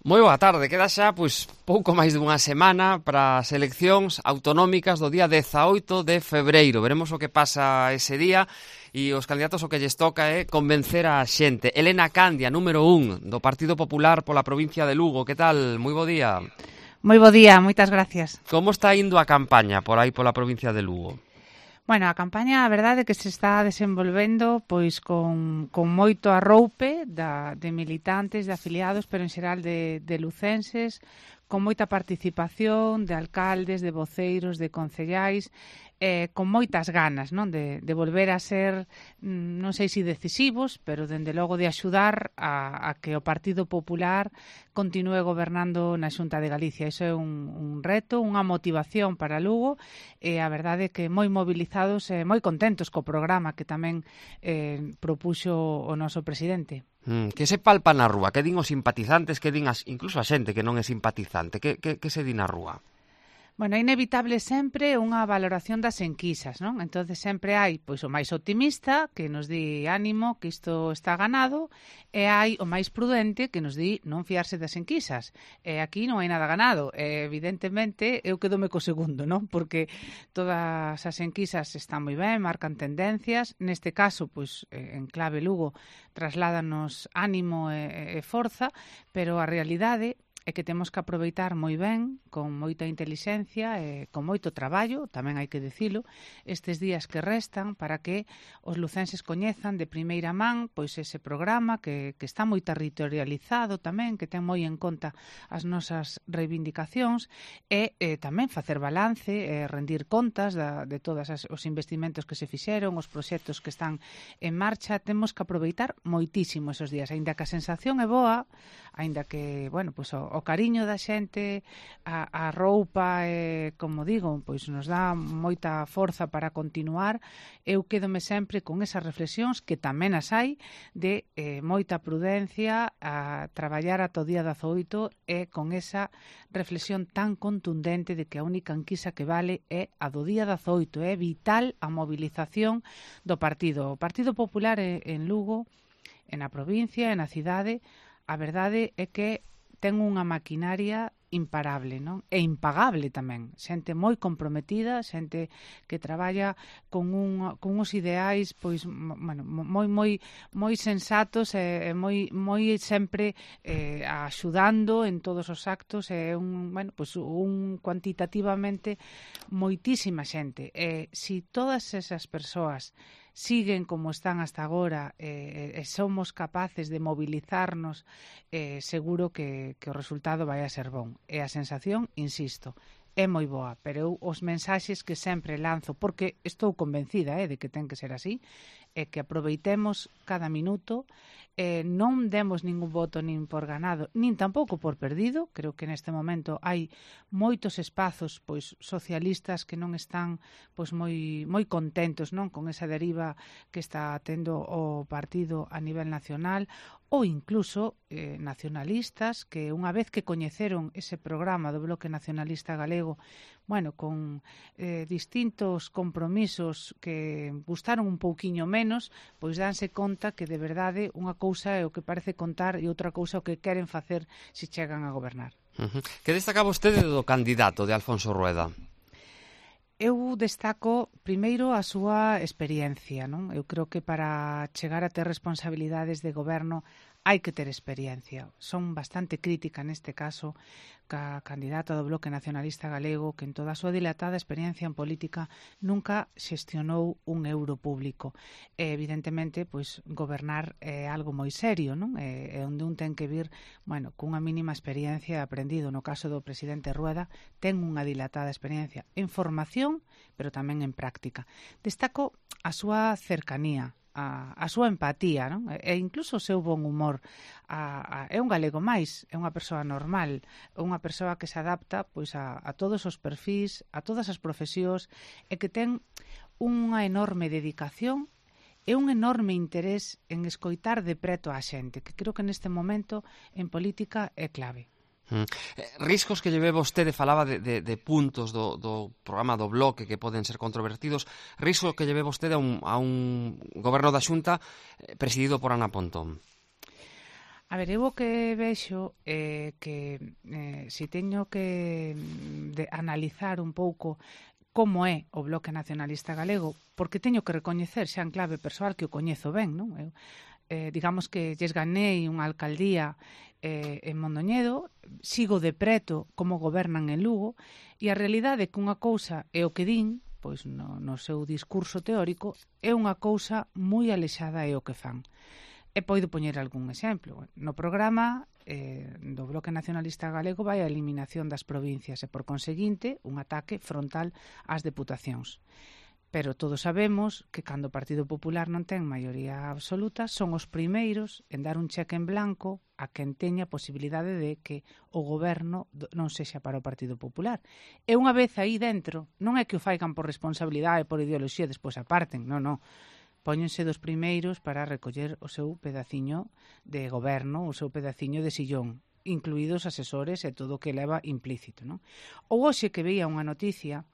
Moi boa tarde, queda xa pouco máis dunha semana para as eleccións autonómicas do día 18 de febreiro. Veremos o que pasa ese día e os candidatos o que lles toca é convencer a xente. Elena Candia, número 1 do Partido Popular pola provincia de Lugo. Que tal? Moi bo día. Moi bo día, moitas gracias. Como está indo a campaña por aí pola provincia de Lugo? Bueno, a campaña, a verdade, que se está desenvolvendo pois con moito arroupe de militantes, de afiliados, pero en xeral de lucenses, con moita participación de alcaldes, de voceiros, de concellais, con moitas ganas, non, de volver a ser, non sei se decisivos, pero dende logo de axudar a que o Partido Popular continúe gobernando na Xunta de Galicia. Iso é un reto, unha motivación para Lugo, e a verdade é que moi movilizados e moi contentos co programa que tamén propuxo o noso presidente. Que se palpa na rúa? Que din os simpatizantes, que din incluso a xente que non é simpatizante? Que se di na rúa? Bueno, é inevitable sempre unha valoración das enquisas, non? Entonces sempre hai pois o máis optimista que nos di ánimo, que isto está ganado, e hai o máis prudente que nos di non fiarse das enquisas. E aquí non hai nada ganado. Evidentemente eu quedome co segundo, non? Porque todas as enquisas están moi ben, marcan tendencias. Neste caso, pois en clave Lugo, trasládanos ánimo e forza, pero a realidade é que temos que aproveitar moi ben, con moita intelixencia e con moito traballo, tamén hai que dicilo, estes días que restan para que os lucenses coñezan de primeira man pois ese programa que está moi territorializado tamén, que ten moi en conta as nosas reivindicacións e tamén facer balance e rendir contas de todos os investimentos que se fixeron, os proxectos que están en marcha. Temos que aproveitar moitísimo esos días, aínda que a sensación é boa, aínda que, bueno, pois o cariño da xente, a roupa, como digo, pois nos dá moita forza para continuar. Eu quédome sempre con esas reflexións, que tamén as hai, de moita prudencia, a traballar ata o día 18 e con esa reflexión tan contundente de que a única enquisa que vale é a do día 18. É vital a movilización do partido. O Partido Popular en Lugo, na provincia, na cidade, a verdade é que ten unha maquinaria imparable, non? E impagable tamén. Xente moi comprometida, xente que traballa con uns ideais pois, bueno, moi sensatos e moi sempre axudando en todos os actos, e cuantitativamente moitísima xente. Si todas esas persoas siguen como están hasta agora e somos capaces de mobilizarnos, seguro que o resultado vai a ser bon. E a sensación, insisto, é moi boa, pero eu os mensaxes que sempre lanzo, porque estou convencida de que ten que ser así, é que aproveitemos cada minuto, non demos ningún voto nin por ganado, nin tampouco por perdido. Creo que neste momento hai moitos espazos pois socialistas que non están pois moi contentos, non, con esa deriva que está tendo o partido a nivel nacional, ou incluso nacionalistas que unha vez que coñeceron ese programa do Bloque Nacionalista Galego, bueno, con distintos compromisos que gustaron un pouquiño menos, pois danse conta que de verdade unha cousa é o que parece contar e outra cousa o que queren facer se chegan a gobernar. Que destaca vostede do candidato de Alfonso Rueda? Eu destaco, primeiro, a súa experiencia, non? Eu creo que para chegar a ter responsabilidades de goberno hai que ter experiencia. Son bastante crítica neste caso ca candidata do Bloque Nacionalista Galego, que en toda a súa dilatada experiencia en política nunca xestionou un euro público. Evidentemente, pois gobernar é algo moi serio, non? É onde un ten que vir, bueno, cunha mínima experiencia aprendido. No caso do presidente Rueda, ten unha dilatada experiencia en formación, pero tamén en práctica. Destaco a súa cercanía, a súa empatía, non? E incluso o seu bon humor. É un galego máis, é unha persoa normal, unha persoa que se adapta pois a todos os perfís, a todas as profesións, e que ten unha enorme dedicación e un enorme interés en escoitar de preto a xente, que creo que neste momento en política é clave. Riscos que lle ve vostede, falaba de puntos do programa do Bloque que poden ser controvertidos, risco que lle ve vostede a un goberno da Xunta presidido por Ana Pontón? A ver, eu o que vexo que se teño que analizar un pouco como é o Bloque Nacionalista Galego, porque teño que recoñecer xa en clave persoal que o coñezo ben, non? Eu, digamos que lles ganei unha alcaldía en Mondoñedo, sigo de preto como gobernan en Lugo, e a realidade é que unha cousa é o que din, pois no seu discurso teórico, é unha cousa moi alexada é o que fan. E poido poñer algún exemplo. No programa do Bloque Nacionalista Galego vai a eliminación das provincias e, por conseguinte, un ataque frontal ás deputacións. Pero todos sabemos que cando o Partido Popular non ten maioría absoluta, son os primeiros en dar un cheque en blanco a quen teña a posibilidade de que o goberno non sexa para o Partido Popular. E unha vez aí dentro, non é que o faigan por responsabilidade, por ideoloxía, despois aparten, non. Póñense dos primeiros para recoller o seu pedaciño de goberno, o seu pedaciño de sillón, incluídos asesores e todo o que leva implícito, non? Ou hoxe que veía unha noticia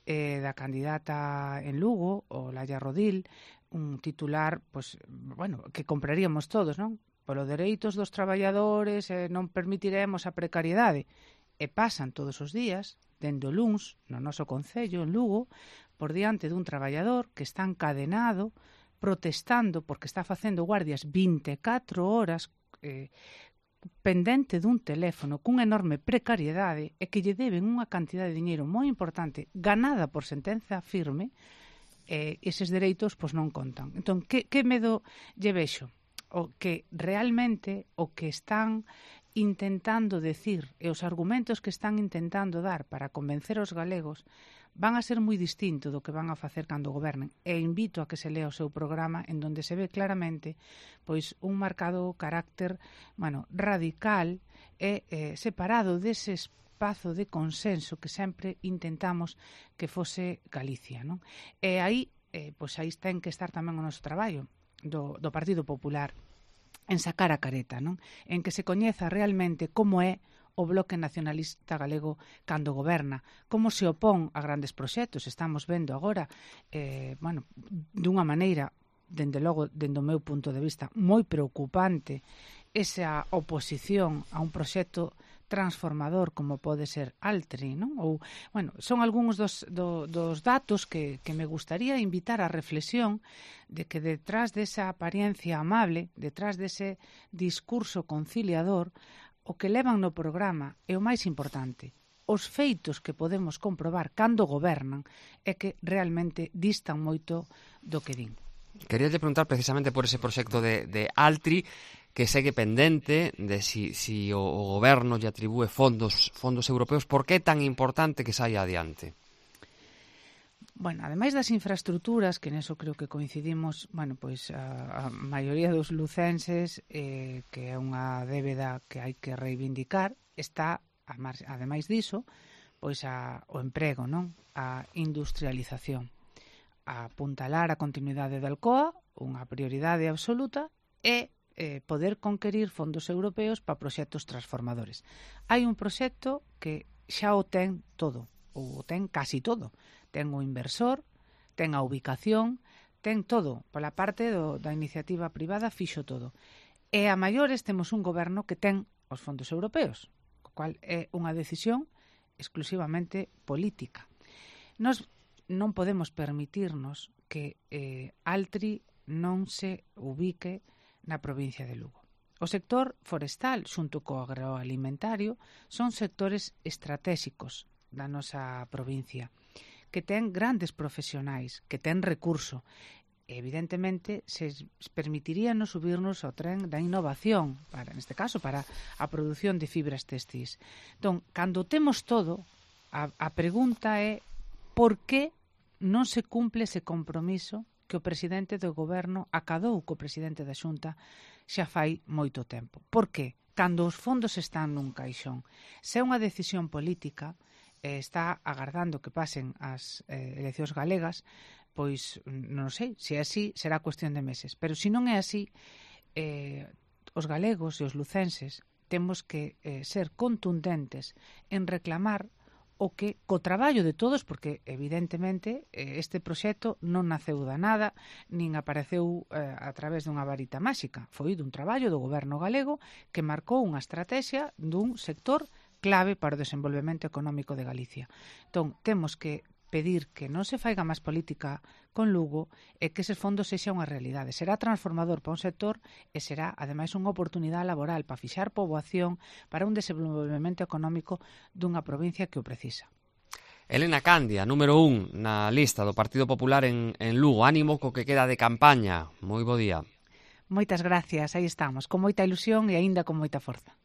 da candidata en Lugo, o Laia Rodil, un titular, pois, bueno, que compraríamos todos, non? Polo dereitos dos traballadores, non permitiremos a precariedade. E pasan todos os días, dende o luns, no noso concello, en Lugo, por diante dun traballador que está encadenado, protestando porque está facendo guardias 24 horas pendente dun teléfono cunha enorme precariedade e que lle deben unha cantidad de diñeiro moi importante ganada por sentenza firme, eses dereitos pois non contan. Entón, que medo lle vexo? O que realmente o que están intentando decir e os argumentos que están intentando dar para convencer os galegos van a ser moi distinto do que van a facer cando gobernen. E invito a que se lea o seu programa en donde se ve claramente pois un marcado carácter, radical e separado dese espazo de consenso que sempre intentamos que fose Galicia, non? E aí, pois aí ten que estar tamén o noso traballo do Partido Popular en sacar a careta, non? En que se coñeza realmente como é o Bloque Nacionalista Galego cando goberna, como se opón a grandes proxectos. Estamos vendo agora, dunha maneira, dende logo, dende o meu punto de vista, moi preocupante, esa oposición a un proxecto transformador como pode ser Altri, non? Ou, son algúns dos datos que me gustaría invitar á reflexión de que detrás desa apariencia amable, detrás dese discurso conciliador, o que levan no programa é o máis importante. Os feitos que podemos comprobar cando gobernan é que realmente distan moito do que din. Quería preguntar precisamente por ese proxecto de Altri, que segue pendente de si o goberno lle atribúe fondos europeos. Por que é tan importante que saia adiante? Ademais das infraestructuras, que neso creo que coincidimos, pois a maioría dos lucenses, que é unha débeda que hai que reivindicar, está, ademais diso, pois o emprego, non? A industrialización. A apuntalar a continuidade da Alcoa, unha prioridade absoluta, e poder conquerir fondos europeos para proxectos transformadores. Hai un proxecto que xa o ten todo, ou o ten casi todo. Ten o inversor, ten a ubicación, ten todo. Pola parte da iniciativa privada fixo todo. E a maiores temos un goberno que ten os fondos europeos, o cual é unha decisión exclusivamente política. Nos non podemos permitirnos que Altri non se ubique na provincia de Lugo. O sector forestal, xunto co agroalimentario, son sectores estratégicos da nosa provincia, que ten grandes profesionais, que ten recurso. Evidentemente, se permitiríanos subirnos ao tren da innovación, neste caso, para a produción de fibras textis. Entón, cando temos todo, a pregunta é por que non se cumple ese compromiso que o presidente do goberno acadou co presidente da Xunta xa fai moito tempo. Por que? Cando os fondos están nun caixón. Se é unha decisión política, está agardando que pasen as eleccións galegas, pois non sei, se é así será cuestión de meses, pero se non é así, os galegos e os lucenses temos que ser contundentes en reclamar o que co traballo de todos, porque evidentemente este proxecto non naceu da nada, nin apareceu a través dunha varita máxica, foi dun traballo do goberno galego que marcou unha estrategia dun sector clave para o desenvolvemento económico de Galicia. Entón, temos que pedir que non se faiga máis política con Lugo e que eses fondos sexa unha realidade. Será transformador para un sector e será, ademais, unha oportunidade laboral para fixar poboación para un desenvolvemento económico dunha provincia que o precisa. Elena Candia, número 1 na lista do Partido Popular en Lugo. Ánimo co que queda de campaña. Moi bo día. Moitas gracias, aí estamos, con moita ilusión e aínda con moita forza.